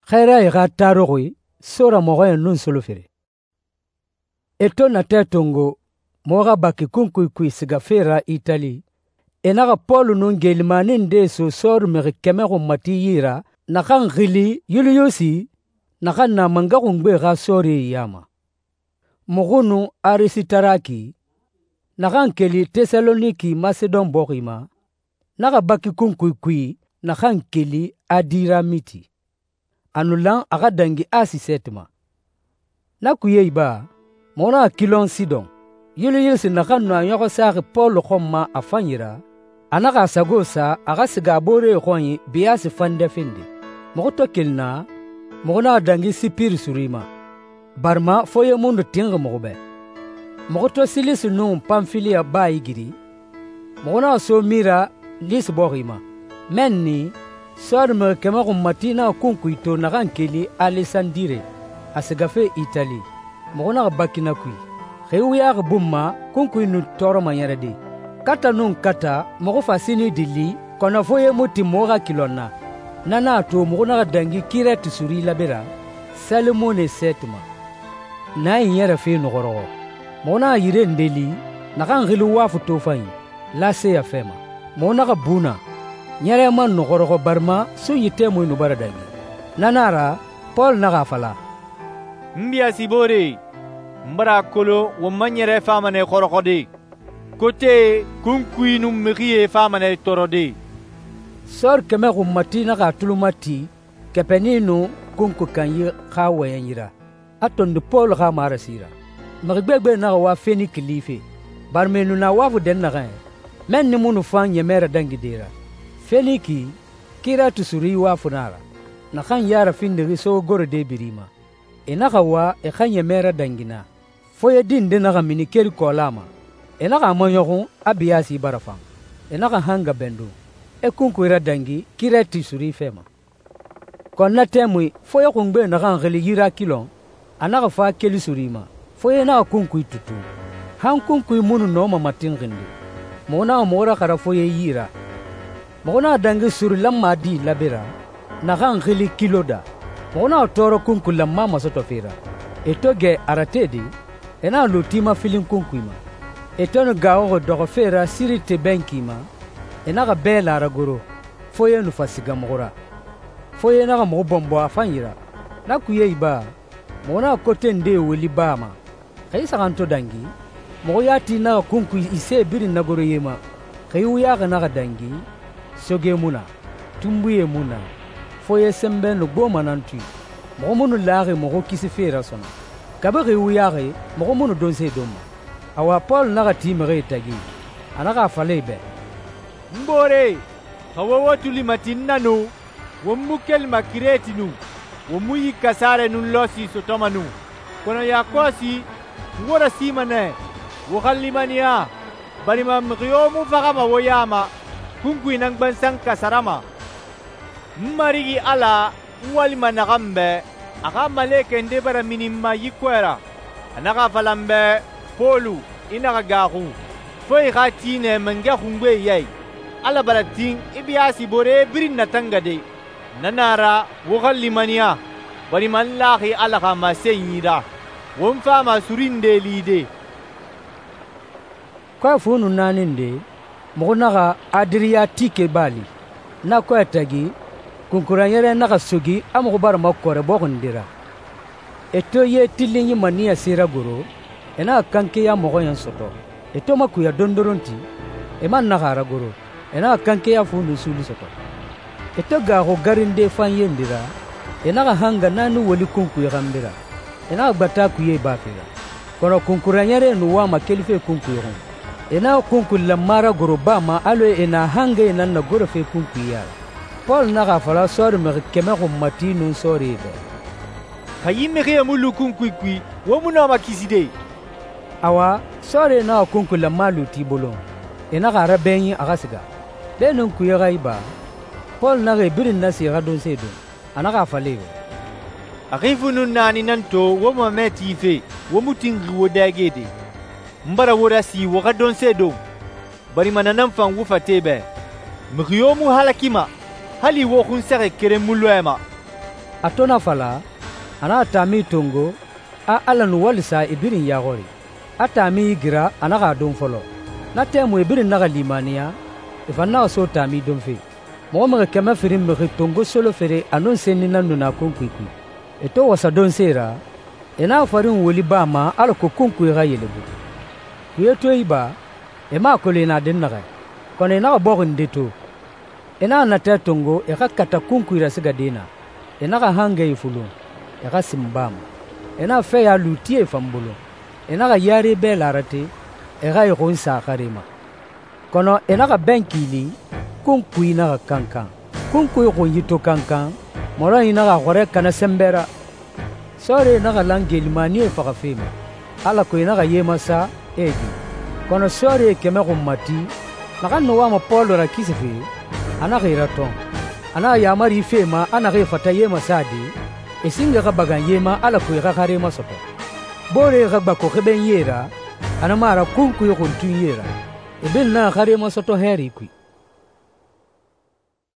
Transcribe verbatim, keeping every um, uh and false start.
Xɛɛrae xa taruxui sora mɔxɔɲɛn nun solofere. E to natɛ tongo muxu xa baki kunkui kui sigafe ra Itali, e naxa Pɔlu nun geelimani ndee so sɔɔri mixi kɛmɛ xunmati yi ra naxan xili Yuliyusi, naxan na mangɛ xungbe xa sɔɔrie ya ma. Muxu nun Arisitaraki, naxan keli Tesaloniki Masedon bɔxi ma, naxa baki kunkui kui naxan keli Adiramiti. A nu lan a xa dangi Asi sɛɛti ma. Na kuye iba, muxu naxa Kilɔn Sidɔn. Yuliyusi naxan nu a ɲɔxɔ saxi Pɔlu xɔn ma a fanyi ra, a naxa a sago sa a xa siga a booree xɔnyi biyaasi fan dɛfende. Muxu to keli naa, muxu naxa dangi Sipiri suri ma, barima foye mu nu tinxi muxu bɛ. Muxu to Silisi nun Panfiliya baa igiri, muxu naxa so Mira Lisi bɔxi ma. Mɛnni, sɔɔri mixi kɛmɛ xunmati naxa kunkui to naxan keli Alesandire, a sigafe Itali. Muxu naxa baki na kui. Xi wuyaxi bun ma, kunkui nu tɔɔrɔma ɲɛrɛde. Kata nun kata, muxu fa sini dili, kɔnɔ foye mu tin muxu xa kilɔn na. Na nan a to muxu naxa dangi Kirɛti suri labe ra, Salimone sɛɛti ma. Na in ɲɛrɛ fe nu xɔrɔxɔ. Muxu naxa yire nde li, naxan xili Wafu tofanyi, Laseya fɛ ma. Muxu naxa bu na. Ɲɛrɛ man nu xɔrɔxɔ barima sunyi tɛmui nu bara dangi. Na nan a ra, Pɔlu naxa a fala, «N biyasiboore, n bara a kolon won ma ɲɛrɛ fama nɛ xɔrɔxɔde. Kote kunkui nun mixie fama nɛ tɔɔrɔde.» Sɔɔri kɛmɛ xunmati naxa a tulu mati kɛpɛni nun kunku kanyi xa wɔyɛnyi ra, a tondi Pɔlu xa marasi ra. Mixi gbegbe naxa wa Feniki life, barima e nu na Wafu dɛnnaxɛ, mɛnni mu nu fan ɲɛmɛ radangide ra. Feniki, Kirɛti suri Wafu nan a ra, naxan ya rafindixi sogorode biri ma. E naxa wa e xa ɲɛmɛ radangi naa. Foye din nde naxa mini keri kɔɔla ma. E naxa a maɲɔxun a biyasi bara fan. E naxa hanga bɛndun, e kunkui radangi Kirɛti suri fɛ ma. Kɔn na tɛmui foye xungbe naxan xili Yirakilɔn, a naxa fa keli suri ma. Foye naxa kunkui tutu. Han kunkui mu nu nɔma matinxinde. Muxu naxa muxu raxara foye yi ra. Muxu naxa dangi suri lanma di labe ra, naxan xili Kiloda. Muxu naxa tɔɔrɔ kunkui lanma masɔtɔfe ra. E to gɛ aratede, e naxa lu tima filin kunkui ma. E to nu gaaxuxi dɔxɔfe ra Sirite bɛnki ma, e naxa bɛɛ la ragoro, foye nu fa siga muxu ra. Foye naxa muxu bɔnbɔ a fanyi ra. Na kuye iba, muxu naxa kote ndee woli baa ma. Xa i saxan to dangi, muxu yati naxa kunkui ise birin nagoro ye ma. Xa i wuyaxi naxa dangi, soge mu na, tunbuye mu na, foye sɛnbɛ nu gboma nan tui. Muxu mu nu laxi muxu kisife ra sɔnɔ. Kabi xa i wuyaxi, muxu mu nu donse don ma. Awa Pɔlu naxa ti mixie tagi, a naxa a fala e bɛ, «N boore, xa wo wo tuli mati n na nu, won mu kelima Kirɛti nu, won mu yi kasarɛ nun lɔsi sɔtɔma nu. Kɔnɔ yakɔsi, n wo rasima nɛ, wo xa limaniya, barima mixi yo mu faxama wo ya ma, kunkui nan gbansan kasarama. N Marigi Ala, n walima naxan bɛ, a xa malekɛ nde bara mini n ma yi kɔɛ ra. A naxa a fala n bɛ, Pɔlu, i naxa gaaxu, fo i xa ti nɛ mangɛ xungbe yai. Ala bara tin i biyasiboore birin natangade. Na nan a ra wo xa limaniya, barima n laxi Ala xa masenyi ra. Won fama suri nde lide.» Kɔɛ fu nu naani nde, muxu naxa Adiriyatike baali. Na kɔɛ tagi, kunkuranɲɛrɛ naxa sogi a muxu bara makɔrɛ bɔxundi ra. E to ye tilinyi maniya sera goro, e naxa kankeya mɔxɔɲɛn sɔtɔ. E to makuya dondoron ti, e man naxa a ragoro, e naxa kankeya fu nun suuli sɔtɔ. E to gaaxu garinde fan yendi ra, e naxa hanga naani woli kunkui xanbi ra. E naxa gbata kuye baafe ra. Kɔnɔ kunkuranɲɛrɛ nu wama kelife kunkui xun. E naxa kunkui lanma ragoro baa ma alɔ e na hangaye nan na gorofe kunkui ya ra. Pɔlu naxa a fala sɔɔri mixi kɛmɛ xunmati nun sɔɔrie bɛ, «Xa yi mixie mu lu kunkui kui, wo mu nɔma kiside.» Awa, sɔɔrie naxa kunkui lanma lu ti bolon. E naxa a rabɛnyi a xa siga. Beenun kuye xa iba, Pɔlu naxa e birin nasi xa donse don. A naxa a fala e bɛ, «A xi fu nun naani nan to wo mamɛ tife, wo mu tinxi wo dɛgede. N bara wo rasi wo xa donse don, barima na nan fan wo fate bɛ. Mixi yo mu halakima, hali wo xunsɛxɛ keren mu lɔɛ ma. A to na fala, a naxa taami tongo, a Ala nu walisa e birin yaxɔri. A taami igira, a naxa a don fɔlɔ. Na tɛmui e birin naxa limaniya, e fan naxa so taami donfe. Mɔgɔ mixi kɛmɛ firin mixi tongo solofere a nun senni nan nu na kunkui kui. E to wasa donse ra, e naxa farin woli baa ma alako kunkui xa yelebu. Kuye to iba, e mu a kolon e na dɛnnaxɛ, kɔnɔ e naxa bɔxi nde to. E naxa natɛ tongo e xa kata kunkui rasigade na. E naxa hangɛyi fulun, e xa sin baa ma. E naxa fɛya lu tie fan bolo. E naxa yare bɛ la rate, e xa e xun sa xare ma. Kɔnɔ e naxa bɛn kiili, kunkui naxa kankan. Kunkui xunyi to kankan, mɔrɔnyi naxa xɔrɛ kana sɛnbɛ ra. Sɔɔrie naxa lan geelimanie faxafe ma, alako e naxa ye masa, e gi. Kɔnɔ sɔɔrie kɛmɛ xunmati, naxan nu wama Pɔlu rakisife, a naxa e ratɔn. A naxa yaamari fe ma a naxee fata ye masade, e singe xa bagan ye ma alako e xa xare masɔtɔ. Booree xa gbako xebenyie ra, a na mu a ra kunkui xuntunyie ra. E birin naxa xare masɔtɔ hɛɛri kui.